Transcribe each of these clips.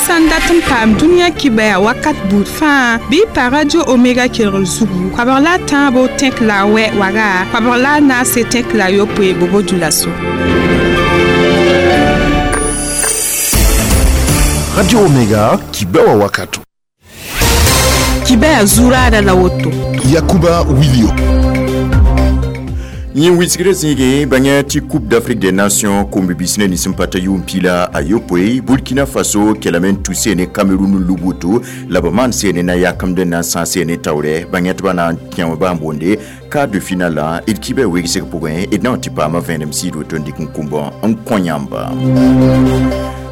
Sã n dat n paam dũniyã kibaya wakat buud fãa, bɩ y pa Radio Omega kelgr zugu, 13 tẽk la a wɛ waga, 14 tẽk la yopoe bobo dioulasso. Radio Omega, Kibewa Wakato. Kibaya zuraada la woto. Yakuba Wilio. Yẽ wilsgrã zĩige bãnga tɩ Coupe d'Afrique des Nations kom-bibis ne nins n pa ta yʋʋm piila a yopoe, Burkina Faso kelame n tuse ne Cameroun n lub woto la b maan seene na yakemd n na n sã seene taoorɛ bãnga tɩ ba na n kẽ wã baa n boonde quart de finale la d kibã wegsg pʋgẽ d na n tɩ paama vẽenem sɩɩd woto n dɩk n kũmbã n kõ yãmba.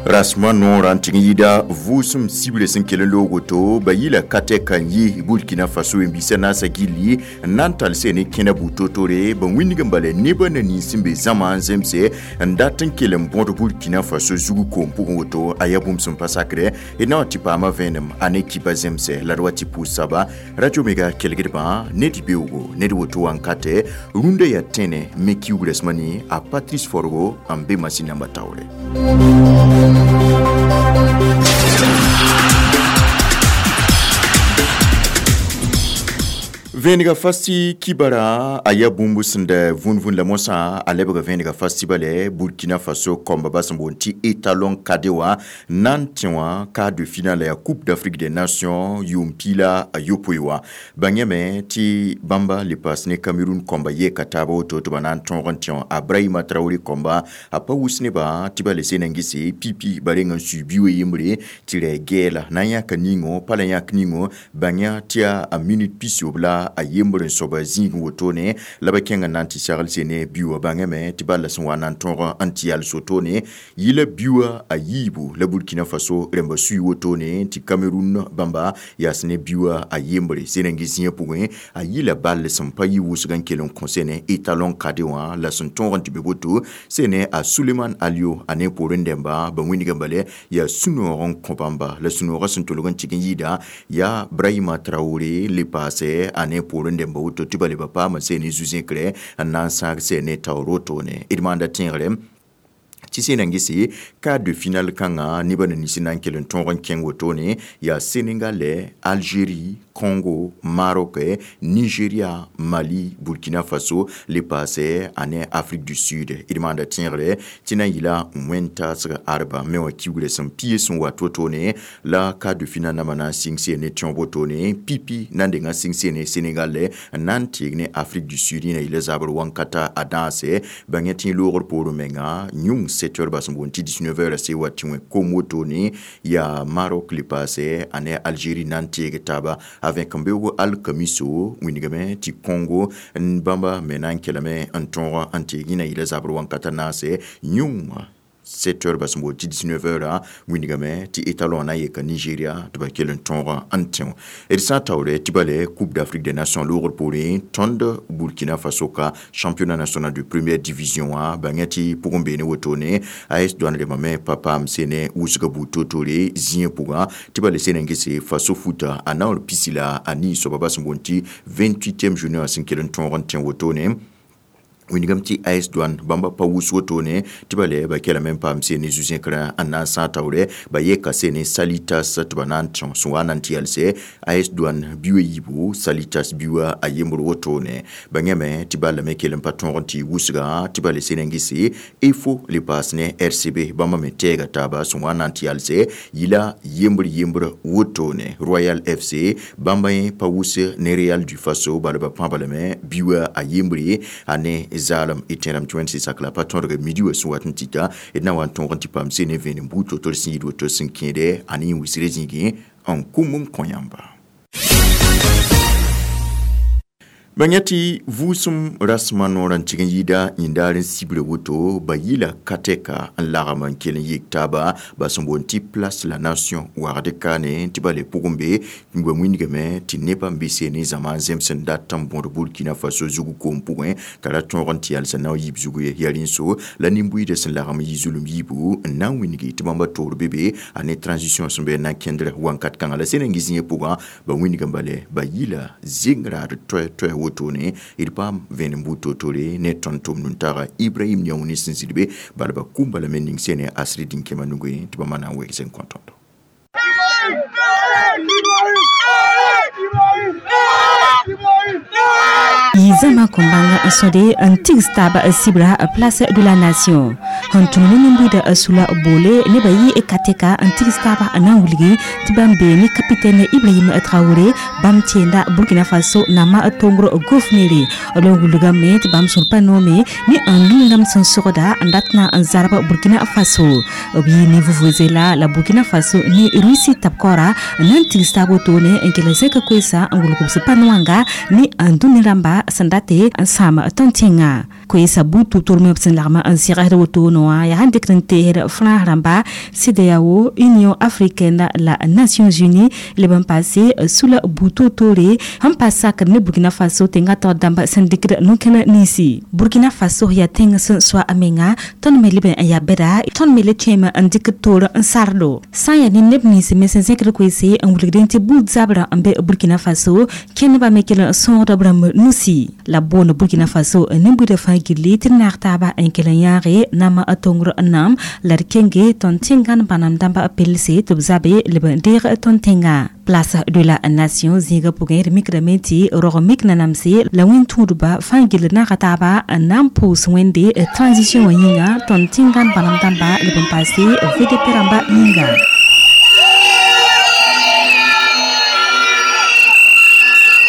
Rasma noorã n tɩg n yɩɩda vʋʋsem sibrã sẽn kell n loog woto ba yɩla ka tɛka n yi Burkina Faso wẽn-biisã naasã gilli n na n tall sene kẽna bu-totore ba wĩndg n bala nebã na nins sẽn be zãma n zemse n dat n kell n bõd Burkina Faso zug koom pʋgẽ woto a yaa bũmb sẽn pa sakrɛ d na wa tɩ paama vẽenem a ne kipa zemsɛ la d wa tɩ pʋʋs saba. Radio Mega kelgdbã ned beoogo ned woto wãnkatɛ rũndã yaa tẽne me kiuug rɛsmã ne a Patrice Forgo n be masin namba taoore. Vẽnega fasti kibara a yaa bũmb sẽn da vũn-vũn la mosã a lebga vẽnega fasti bale Burkina Faso kɔmba ba sẽn boond tɩ étalon kade wã na n tẽ wã quart de finale ya Coupe d'Afrique des Nations yʋʋm piila a yopoe wã. Bãngame tɩ bãmba le paas ne Cameroun kɔmba yeka taaba woto tɩ ba na n tõog n tẽ wã a Brahima Traoré kɔmba a pa wʋs nebã tɩ ba le sena n gese pipi ba reng n sui bi-wã yembre tɩ rɛ gɛɛla na n yãka ningo pa la yãk ningo bãng tɩ yaa a minute pisob la a yembr n soaba zĩig wotone la ba kẽng n na n tɩ segl sene biʋa bãngame tɩ bala sẽn wa na n tõog n tɩ yal sotone yɩla biʋa a yiibu la Burkina Faso rẽmba sui wotone tɩ Cameroun bãmba yaas ne biʋa a yembre sẽn n gɩ zĩigã pʋgẽ a yɩla ball sẽn pa yɩ wʋsg n kell n kõ sene étalon kade wã la sẽn tõog n tɩ be woto sene a Suleiman Alio a ne poorẽ dẽmba ba wĩndg n bale yaa sũ-noog n kõ bãmba la sũ-noogã sẽn tolg n tɩg n yɩɩda yaa Brahima Traoré le paasɛ a ne poorẽ dẽmba woto tɩ ba leba paama sene zu-zẽkre n na n sãag sene taoor wotone d maanda tẽegre tɩ sẽn na n gese quart de finale kãngã nebã na nins na n kell n tõog n kẽng wotone yaa Sénégal, Algérie, Congo, Maroc, Nigeria, Mali, Burkina Faso le paasɛ a ne Afrique du Sud. D maanda tẽegre tɩ na n yɩla wẽn-taasg arba me wã kiugrã sẽn pie sẽn wat wotone la quart de finale namba na n sɩng sene tõog wotone pipi na n denga sɩng sene Sénégal n na n teeg ne Afrique du Sud yẽ na yɩla zabr wãnkata a dãase bãng tɩ loogr poorẽ menga yũng 7 heures bas n boond tɩ 19 heures se wa tɩ wẽ kom wotone yaa Maroc le paasɛ a ne Algérie na n teeg taaba avec n beoog alkamiso wĩndgame tɩ Congo n bãmba me na n kelame n tõog n teeg yẽ na yɩla zabr wãnkata naase yũng 7 heures bas n boond tɩ 19 heures wĩndgame tɩ étalon na n yeka Nigeria tɩ ba kell n tõog n tẽ d sã n taoore tɩ bale Coupe d'Afrique des Nations loogr poorẽ tõnd Burkina Faso ka championnat national de première division wã bãngã tɩ pʋgẽ beene wotone AS Douane rẽmbame pa paam sene wʋsga buud toor-toore zĩigã pʋgã tɩ ba le sena n gese Faso futa a naoor pisi la a nii soaba bas n boond tɩ 28e journée wã sẽn kell n tõog n tẽ wotone wĩndgame tɩ AS Douane bãmba pa wʋs wotone tɩ ba le ba kelame n paam sene zu-zẽkrã n na n sã taoorɛ ba yeka sene Salitas tɩ ba na n tõ sẽn wa na n tɩ yalsɛ AS Douane biʋa yiibu Salitas biʋa a yembr wotone bãngame tɩ ballame me kell n pa tõog n tɩ wʋsga tɩ ba le sene n gese EFO le paas ne RCB bãmba me tɛɛga taaba sẽn wa na n tɩ yalsɛ yɩla yembr yembr wotone Royal FC bãmba yẽ pa wʋs ne Real du Faso bala ba pãaba lame biʋa a yembre a ne zaalem y tẽedame tɩ wẽnd sɩ sak la pa tõdg midi wã sẽn wat n tɩta d na wa n tõog n tɩ paam sene vẽenem buud to-tor sẽn yɩɩd woto sẽn kẽede a ne yẽ wisrã zĩigẽ n kũm n kõ yãmba. Bãng tɩ vʋʋsem rasmã noorã n tɩg n yɩɩda yĩndaar n sibre woto ba yɩla ka-tɛka n lagem n kell n yik taaba ba sẽn boond tɩ Place la Nation wagd kaane tɩ ba le pʋgẽ be ba wĩndgame tɩ nebã n be sene zãma n zems n dat n bõd Burkina Faso zug koom pʋgẽ t'a ra tõog n tɩ yalsã na n yiib zugu ye yaa rẽn-so la nin-buiidã sẽn lagem n yɩ zulum yiibu n na n wĩndgi tɩ bãmba toor be be a ne transition sẽn be n na n kẽndr wãnkat kãngã la sẽn n gɩ zĩigã pʋgã ba wĩndg n bale ba yɩla zeng raad toɛ-toɛ wotone d paam vẽenem buud toor-toore ne tõnd tʋm nuntaga Ibrahim Niaoune sẽn zĩd be bala ba kũmba lame ning sene asri dĩn-kẽma nugẽ tɩ bãmba na n wegs n kõ tõndo. Zama kombanga sode n tigs taaba sibra Place de la Nation sẽn tũm ne nin-buida sula boole nebã yɩ katɛka n tigs taaba n na n wilgi tɩ bãmb bee ne capitaine Ibrahim Traoré bãmb tẽenda Burkina Faso nama tongr gofnere la n wilgame tɩ bãmb sũr pa noome ne n lũngame sẽn sogda n dat na n zarb Burkina Faso b yɩ ne vuvuzela la Burkina Faso ne Russie tab-kaoora n na n tigs taab wotone n kell zẽk koeesa n wilg b sẽn pa noanga ne n dũni rãmba sẽn dat n sãam tõnd tẽngã koeesa buud tʋb-tʋrmẽ b sẽn lagm n zẽgsd wotone wã yaa sẽn dɩkd n teesd Frãns rãmba CEDEAO, Union africaine la Nations Unies leb n paase sula buud toor-toore sẽn pa sakd ne Burkina Faso tẽngã taoor dãmb sẽn dɩkd no-kẽna ninsi. Burkina Faso yaa tẽng sẽn soa a menga tõnd me leb n yaa bɛda tõnd me le tõeme n dɩkd toor n sardo sã n yaa ne neb nins me sẽn zẽkd koeese n wilgdẽ tɩ buud zabrã n be Burkina Faso kẽndbã me kell n sõogda b rãmb nusi la boond Burkina Faso nin-buidã fãa gilli tɩ d naag taaba n kell n yãage nama a tongr n nam la d kenge tõnd tẽngãn bãnam dãmba pelse tɩ b zabe leb n deeg tõnd tẽngã. Place de la Nation zĩigã pʋgẽ d mikdame tɩ rog mik nanamse la wẽn-tũudba fãa gill naaga taaba n na n pʋʋs Wẽnde transition wã yĩnga tõnd tẽngãn bãnam dãmba leb n paase VDP rãmba yĩnga.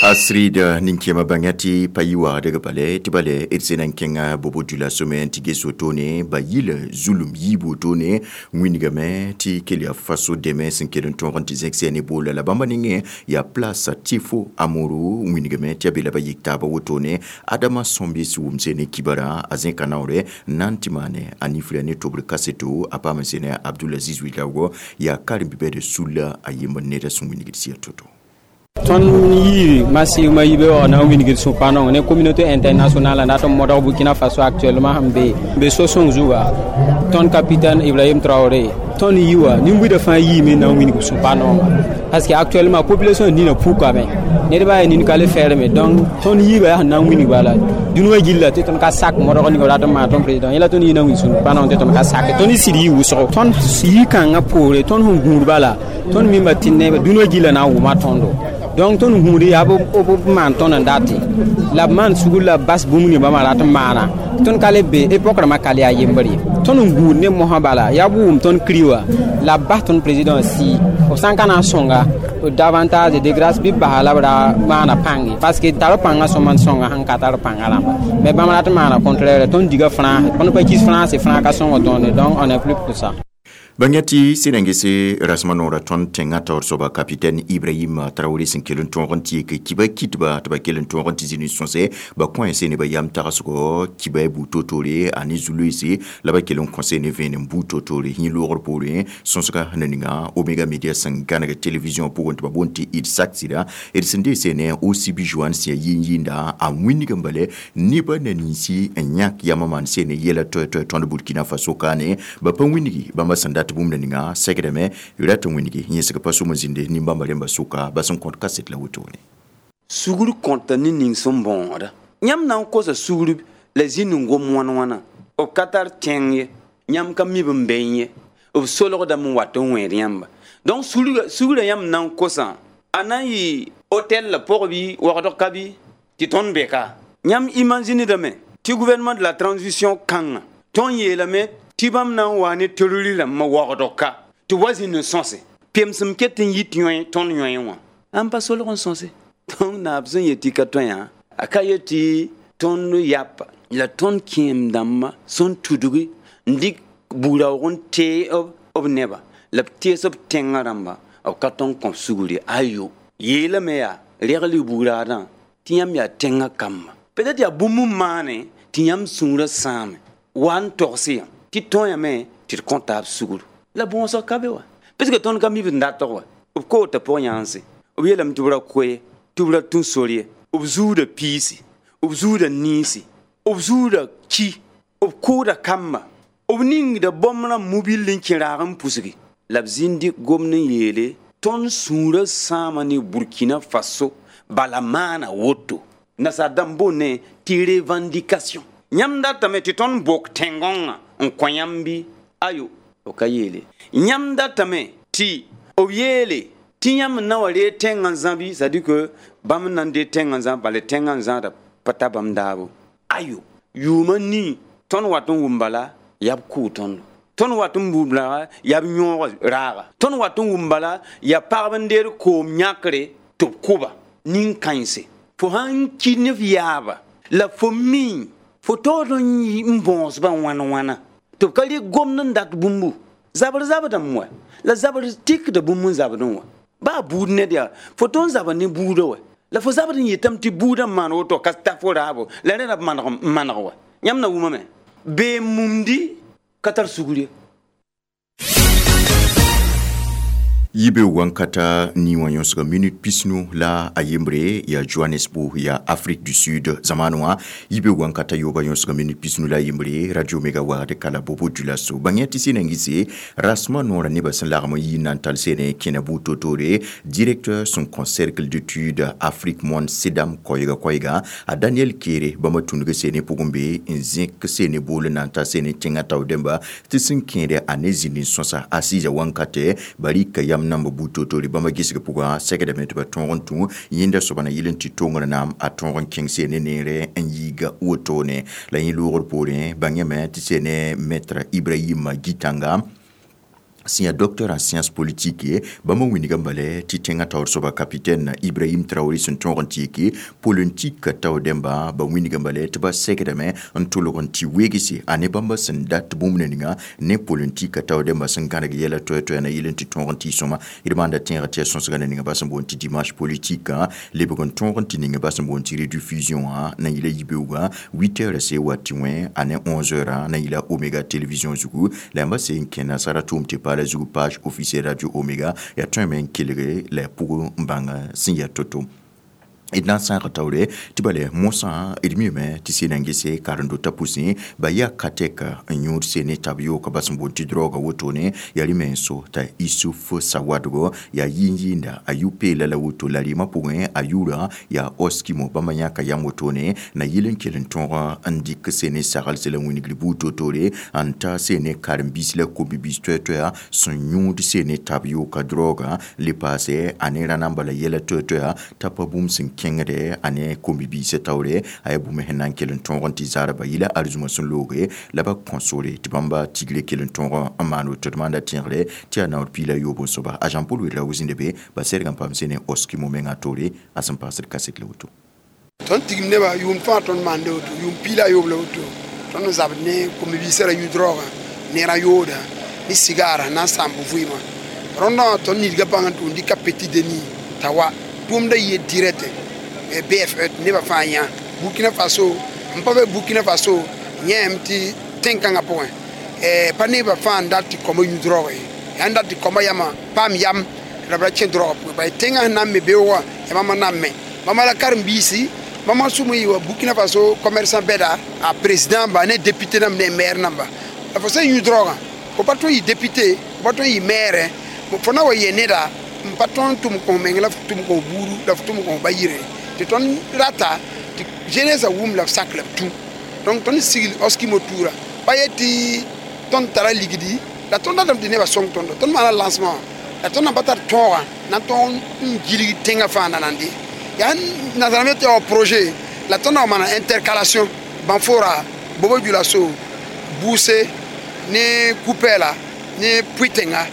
Astrid ninkema bangati payi wagdg bale tɩ bale d sẽn na n kẽnga bobo dioulasso me tɩ ges wotone ba yɩl zulum yiib wotone wĩnigame tɩ kell yaa faso dẽmẽ sẽn kell n tõog n tɩ zẽk sɛ ne boola la bãmba nengẽ yaa place Tifo Amoro wĩnigame tɩ yaa be la ba yik taaba wotone Adama Sõmbis wʋmse ne kibara a zẽka naoore n na n tɩ maane a nifra ne tobr kaseto a paam n sẽne Abdulaziz Ouédraogo yaa karen-bibɛd sulla a yembr neda sẽn wĩnigd sɩa to-to. Tõnd yɩɩ massivement yibe wã na n wilgd sũ-pãnong ne communauté internationale na tɩ modg Burkina Faso actuellement sẽn be so-sõng zuga tõnd capitaine Ibrahim Traoré tõnd yi wã nin-buidã fãa yiime na n wilg sũ-pãnonga parce que actuellement population nina pukame nedba yaa nin ka le fɛɛrme donc tõnd yiibã yaa sẽn na n wilg bala dũni wã gilla tɩ tõnd ka sak modg ning rat n maan tõnd président yẽla tõnd yɩ na n wilg sũ-pãnong tɩ tõnd ka sake tõnd sɩd yɩ wʋsgo tõnd yi-kãngã poore tõnd sẽn gũud bala tõnd mimba tɩ neb dũni wã gilla na n wʋma tõndo donc tõnd gũud yaa b maan tõnd n date la b maan sugr la b bas bũmb ning bãmba rat n maana tõnd ka le be époque rãmbã ka le yaa yembr ye tõnd n gũud ne mosã bala yaa b wʋm tõnd kri wã la b bas tõnd président sii b sã n ka na n sõnga davantage de grâce bɩ b basa la b ra maana pãnge parce que tar pãngã sõma n sõnga sẽn ka tar pãngã rãmba mais bãmb rat n maana contraire tõnd diga France tõnd pa kis France France ka sõng tõnd donc on est plus pour ça. Bãngã tɩ sẽn rasmã noorã tõnd tẽngã taoor soaba capitaine Ibrahim Traoré sẽn kell n tõog n tɩ yek kiba kitba tɩ ba kell n tõog n tɩ zĩ ne sõse ba kõ sẽ ne ba yam tagsgo kiba buud toor-toore a ne zu-loeese la ba kell n kõse ne vẽenem buud toor-toore yẽ loogr poorẽ sõsga na ninga Omega Media sẽn gãneg télévision pʋgẽ tɩ ba boond tɩ d sak sɩda d sẽn dees ne OCB Joan sẽn yaa yĩn-yĩnda a wĩnig n bale nebã na ninsi n yãk yamã maan sẽn ne yɛla toɛ-toɛ tõnd Burkina Faso kaane ba pa wĩnigi bãmba sẽn dat bũmb na ninga segdame rat n wĩnigi yẽsg pa sʋm n zĩnde nin-bãmba rẽmba sʋka ba sẽn kõt kaset la wotone. Sugr kõta ne ning sẽn bõoda yãmb na n kosa sugr la zĩnd n gom wãn-wãna b ka tar tẽng ye yãmb ka mi b n bee ye b solgdame n wat n wẽed yãmba donc sugrã yãmb na n kosã a na n yɩ hôtel la pʋg bɩ wagdg ka bɩ tɩ tõnd be ka yãmb imaginedame tɩ gouvernement de la transition kãngã tõnd yeelame tɩ bãmb na n wa ne terrori rãmbã wagdg ka tɩ wa zĩnd n sõse pemsem ket n yit yõe tõnd yõe wã ãn pa solg n sõse tõnd naab sẽn yet tɩ ka tõe yã a ka yet tɩ tõnd yapa la tõnd kẽem dãmbã sẽn tudgi n dɩk buud-raoog n tee b neba la b tees b tẽngã rãmba b ka tõnd kõ sugr ye ayo yeelame yaa regl buud-raadã tɩ yãmb yaa tẽngã kamba peut-être yaa bũmb n maane tɩ yãmb sũurã sãame wa n togs yã tɩ tõeyame tɩ d kõ taab sugr la bõosg ka be wa parce que tõnd ka mi b n datg wa b koota pʋg-yãanse b yeelame tɩ b ra koe tɩ b ra tũ sor ye b zuuda piisi b zuuda niisi b zuuda ki b kʋʋda kamba b ningda bõmb rãmb mobil n kẽ raag n pusgi la b zĩnd gomd n yeele tõnd sũurã sãama ne Burkina Faso bala maana woto nasaar dãmb boonne tɩ revendication yãmb datame tɩ tõnd bok tẽn-gõngã n kõ yãmb bɩ ayo b ka yeele yãmb datame tɩ b yeele Tɩ yãmb n na wa reeg tẽngã zãbi, c'est à dire que bãmb n na n deeg tẽngã zãb, bala tẽngã zãada pa ta bãmb daabo. Ayo, yʋʋmã nii tõnd wat n wʋm bala yaa b kʋʋ tõndo. Tõnd wat n wʋm bala yaa b yõoga raaga. Tõnd wat n wʋm bala yaa pagb n deed koom yãkre tɩ b kʋba nin-kãense. Fo sãn ki ne f yaaba la fo mi fo taood n bõosbã wãn wãna tɩ b ka rɩk gomd n dat bũmbu. Zabr zabdame wa la zabr tikda bũmb n zabdẽ wã. Baa buud ned yaa fo tõnd zabr ne buudã wa la fo zabd n yetame tɩ buudã n maan woto ka ta fo raabo la rẽ la b maneg n maneg wa. Yãmb na wʋmame bee mumdi ka tar sugr ye. Yibe wankata ni wã yõsga minute pisnu la a yembre ya Johannesburg ya Afrique du Sud zamanu wã. Yibe wankata yoba yõsga minute pisnu la yembre Radio Mega wagd kala bobo dulaso. Bãng tɩ sẽn gise rasma noorã nebã sẽn lagm n yi n na n tall sene kẽna buud totore directeur sẽn kõ cercle d'études Afrique Monde Sedam koɛɛga koɛɛga a Daniel Kere bãmba tũnug sene pʋgẽ be n zẽk sene bool n na n ta sene tẽngã tao dẽmba tɩ sẽn kẽede a ne zĩnd n sõsa asiisa wankatɛ barika yam namba buud totore bãmba gesg pʋgã segdame tɩ ba tõog n tũ yẽnda soaba na yɩl n tɩ tongr naam a tõog n kẽng sene neere n yiiga wotone la yẽ loogr poorẽ bãngame tɩ sene maître Ibrahim Gitanga sẽn yaa docteur en sciences politiques bãmba wĩnigã bala tɩ tẽngã taoor soaba capitaine Ibrahim Traoré sẽn tõog n tɩ yeke politique tao dẽmba ba wĩnigã bala tɩ ba segdame n tʋlg n tɩ weegse a ne bãmba sẽn dat bũmb ninga ne politique tao dẽmba sẽn gãneg yɛla toɛ-toɛa na yɩl n tɩ tõog n tɩ sõma d maanda tẽegã tɩ yaa sõsgã na ninga ba sẽn boond tɩ dimanche politique lebg n tõog n tɩ ninga ba sẽn boond tɩ rediffusion wã na yɩla yibeoogã 8 heures se wa tɩ wẽ a ne 11 heures na yɩla Omega télévision zugu la yãmba se n kẽ nasara tʋʋm tɩ paala zugu page officielle Radio Omega ya tõeme n kelge la ya pʋgẽ n bãng sẽn yaa to-to. D na n sãaga taoore tɩ bala mosã d miime tɩ sẽn na n gese karen-dotã pʋsẽ ba yaa ka-tɛka n yõod sene tab yooka ba sẽn boond tɩ drɔɔga wotone yaa rẽ me n so t'a Isuf Sawadgo yaa yɩɩn-yɩɩnda a yʋ-peela la woto la rɩɩmã pʋgẽ a yʋʋra yaa Oskimo bãmba yãka yam wotone na yɩl n kell n tõog n dɩk sene saglse la wĩnigr buud totore n ta sene karen-biis la kom-biis toɛ-toɛa sẽn yõod sene tab yooka drɔɔga le paase a ne rã-namba la yɛla toɛ-toɛa t'a pa bũmb sẽn kẽngde a ne kom-bibiisã taoore a yaa bũmb sẽn na n kell n tõog n tɩ zaarba yɩla arzũmã sẽn looge la ba kõ sore tɩ bãmba tigre kell n tõog n maan woto d maanda tẽegre tɩ yaa naoor piila yoob n soaba a Jean Paul Ouedraogo zĩnda be ba serg n paam sene Oskimo mengã toore a sẽn paasd kaset la woto. Tõnd tigim nebã yʋʋm fãa tõnd maanda woto yʋʋm piila a yoob la woto tõnd n zabd ne kom-bibiisã ra yũ draoogã ne ra yooda ne sigaara na n sãamb vɩɩmã rõndã wã tõnd nidgã bãng n tʋʋm dɩka Petit Denis t'a wa tʋʋmda yɩ direct BFE nebã fãa yã Burkina Faso n pa be Burkina Faso yẽem tɩ tẽn-kãngã pʋgẽ pa nebã fãa n dat tɩ kõma yũ droog ye yaa n dat tɩ kõma yamã paam yam la b ra kẽ droogã pʋgẽ bala tẽngã sẽn na n me beoogã yaa bãmba na n me bãmba la karen-biisi bãmba sʋm n yɩ wa Burkina Faso commerçant bɛda a président ba ne député namba ne maire namba la fo sẽn yũ droogã fo pa tõe n yɩ député fo pa tõe n yɩ maire fo na wa yɛ neda n pa tõe n tʋm kõ meng la f tʋm kõ buudu la f tʋm kõ ba yire tɩ tõnd rata tɩ jeunesse wʋm la b sak la b tũ donc tõnd sigl Oskimo tuura pa yet tɩ tõnd tara ligdi la tõnd datame tɩ nebã sõng tõndo tõnd maana lancement la tõnd na pa tar tõogã na n tõog n gilg tẽngã fãa na nande yaa nasaarame tɩ yaa projet la tõnd na wa maana intercalation Banfora Bobo Dioulasso Boussé ne Koupéla ne Pouytenga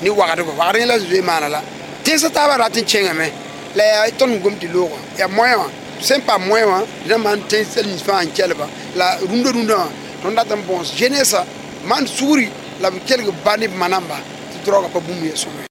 ne wagdgo wagd la zoe maana la tẽnsã taabã rat n kẽngame la yaa tõnd gom tɩ loogã yaa moyen wã sẽn paam moyen wã dã maan tẽns nins fãa n kelba la rũndã rũndã wã tõnd dat n bõos jeunesse maan sugri la b kelg ba ne b manamba tɩ draoogã pa bũmb ye sõma.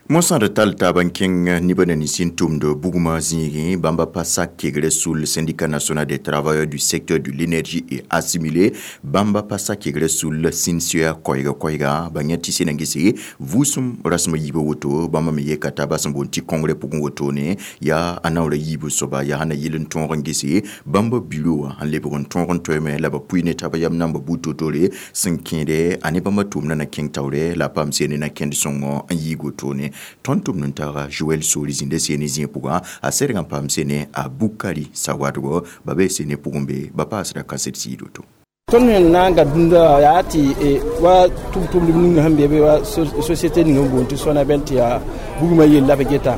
Mosã d tall taab n kẽng nebã na nins n tʋmd bugmã zĩigẽ bãmba pa sak kegre sul syndicat national des travailleurs du secteur de l'énergie et assimilé bãmba pa sak kegre sul SYNCEA koɛɛga koɛɛga ba yẽ tɩ sẽn na n gese vʋʋsem rasem a yiibã woto bãmba me yeka taaba sẽn boond tɩ congrès pʋgẽ wotone yaa a naoora yiibã soaba yaa sẽn na yɩl n tõog n gese bãmba bureau wã n lebg n tõog n toeeme la ba pʋɩ ne taaba yam namba buud totore sẽn kẽede a ne bãmba tʋʋmdã na kẽng taoore la a paam sene na kẽnd sõngo n yiig wotone tõnd tʋmd n taaga Joel Sori zĩnda sene zĩig pʋgã a serg n paam sene a Bukari Sawadgo ba be sene pʋgẽ be ba paasda kaset sɩɩd woto. Tõnd sẽn na n gad dũnda yaa tɩ wa tʋm-tʋmdb ning sẽn be be wa société ning n boond tɩ Sonabel tɩ yaa bugmã yell la b geta.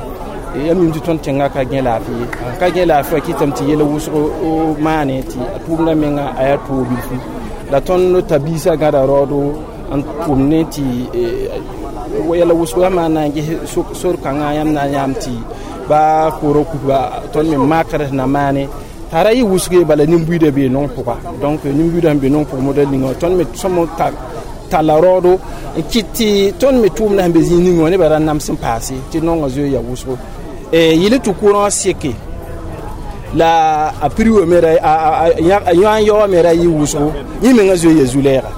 Yãmb yĩm tɩ tõnd tẽngã ka gẽ laafɩ ye. Ka gẽ laafɩ wã kɩtame tɩ yɛl wʋsg maane tɩ a tʋʋmdã menga a yaa toog bilfu. La tõnd ta biisã gãda raoodo n tʋm ne tɩ yɛla wʋsgo yãmb na n ges sor kãngã yãmb na n yãam tɩ ba koorã kuka tõnd me makr sẽn na maane t'a ra yɩ wʋsge bala nin-buiidã bee nong pʋga. Donc nin-buiidã sẽn be nong pʋg modɛl ninga tõnd me sõm talla raoodo n kɩt tɩ tõnd me tʋʋmdã sẽn be zĩig ninga wã nebã ra nams n paase tɩ nongã zoe ya wʋsgo. Yɩl tɩ kʋrã seke la a prix wa me ra a yã n yaoã me ra yɩ wʋsgo yẽ mengã zoe ya zu-lɛɛga.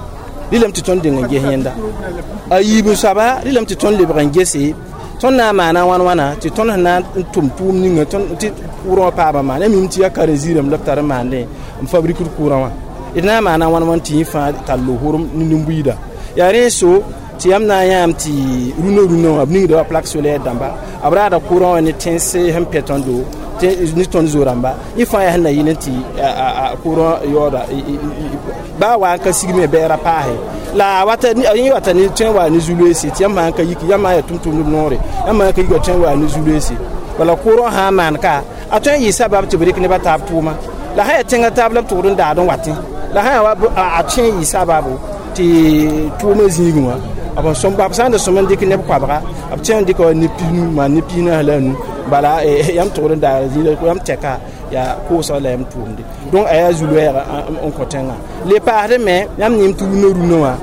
Rɩlame tɩ tõnd deng n ges yẽnda. A yiib soaba rɩlame tɩ tõnd lebg n gese tõnd na n maana wãn wãna tɩ tõnd sẽn na n tʋm tʋʋm ninga tɩ kʋʋrã wã paama maana. Yãmb yĩm tɩ yaa karen-ziirame la b tar n maandẽ n fabrikd kʋʋrã wã. D na n maana wãn wãn tɩ yẽ fãa tall horem ne nin-buiida. Yaa rẽ so tɩ yãmb na n yãam tɩ rũnã rũnã wã b ningda wa plaque solaire dãmba b raada kʋʋrã wã ne tẽns sẽn pɛ tõndo ne tõnd zo-rãmba. Yẽ fãa yaa sẽn na yɩl n tɩ kʋʋrã yaooda baa wa n ka sigme bɛɛra paase. La wata yẽ wata ne tõe n wa ne zu-loeese tɩ yãmb sã n ka yik yãmb yaa tʋm-tʋmdb noore yãmb sã n ka yika tõe n wa ne zu-loeese. Bala kʋʋrã sã n maan ka a tõe n yɩ sabab tɩ b rɩk nebã taab tʋʋma. La sã yaa tẽngã taab la b tʋgd n daad n watẽ la sã yaa wa a tõe n yɩ sababo tɩ tʋʋmã zĩigẽ wã b sõm b sã n da sõm n dɩk neb koabga b tõe n dɩka wa neb pisnu maan neb pisnaas la a nu bala yãmb tʋgd n daara zĩig yãmb tɛka yaa koosg la yãmb tʋʋmde. Donc a yaa zu-loɛɛga n kõ tẽngã. Le paasdẽ me yãmb yĩm tɩ rũnã rũnã wã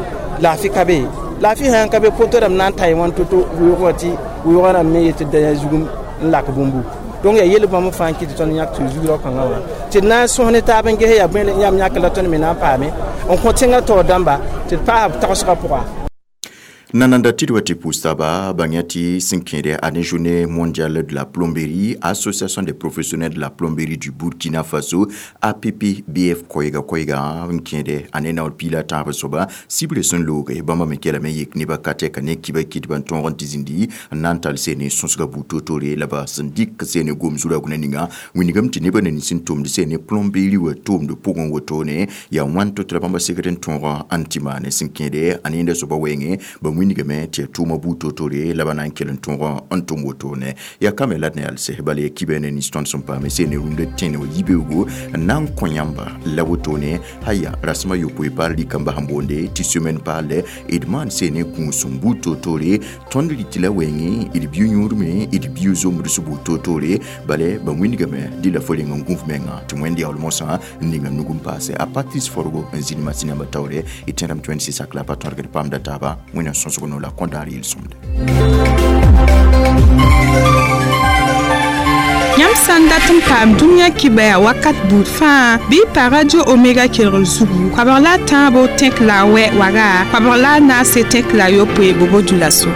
laafɩ ka be. Laafɩ sã n ka be poto rãmb na n ta wãn to-to weoog wã tɩ weoogã rãmb me yet tɩ da yã zugum n lak bũmbu. Donc yaa yel bãmb fãa n kɩt tɩ tõnd yãk tɩ zug-rao kãngã wã tɩ d na n sõs ne taab n ges yaa bõe yãmb yãk la tõnd me na n paame n kõ tẽngã taoor dãmba tɩ d paas b tagsgã pʋga. Nananda tɩ wa tɩ pʋʋs-taaba bãng tɩ sẽn kẽede a ne journée mondiale de la plomberie, association des professionnels de la plomberie du Burkina Faso APPBF koɛɛga koɛɛga n kẽede a ne naoor piig la tãab soaba sibre sẽn looge bãmba me kelame yek nebã ka tɛka ne kiba kɩtbã n tõog n tɩ zĩndi n na n tall seene sõsga buud toor-toore la ba sẽn dɩk seene gom zu-raoog na ninga wĩnigame tɩ nebã na nins n tʋmd seene plomberie wã tʋʋmd pʋgẽ wotone yaa wãn to tɩ la bãmba segd n tõog n tɩ maane sẽn kẽede a nenda soaba wɛɛngẽ ba wĩnigame tɩ yaa tʋʋmã buud toor-toore la ba na n kell n tõog n tʋm wotone yaa kame la d na yals bala yaa kiba ne nins tõnd sẽn paame seene rũndã tẽne wa yibeoogo n na n kõ yãmba la wotone haya rasẽma yopoe paal rɩkamba sẽn boonde tɩ semaine paalle d maan seene kũusem buud toor-toore tõnd rɩtɩ la wɛɛngẽ d biʋ yũudme d biʋ zomds buud toor-toore bala ba wĩnigame dɩ la fo reng n gũuf menga tɩ wẽnd yaool mosã n ninga nug n paase a Patrice Forgo n zĩnd masĩn yãmba taoore d tẽedame tɩ wẽnd sɩ sak la pa tõdgd paamda taaba wẽnnaam sõsg no la kõndaar yel-sõmde. Yãmb sã n dat n paam dũniyã kibaya wakat buud fãa bɩ y pa radio Omega kelgr zugu koabg la a tãabo tẽk la a wɛ waga koabg la a naase tẽk la a yopoe bobo dulaso.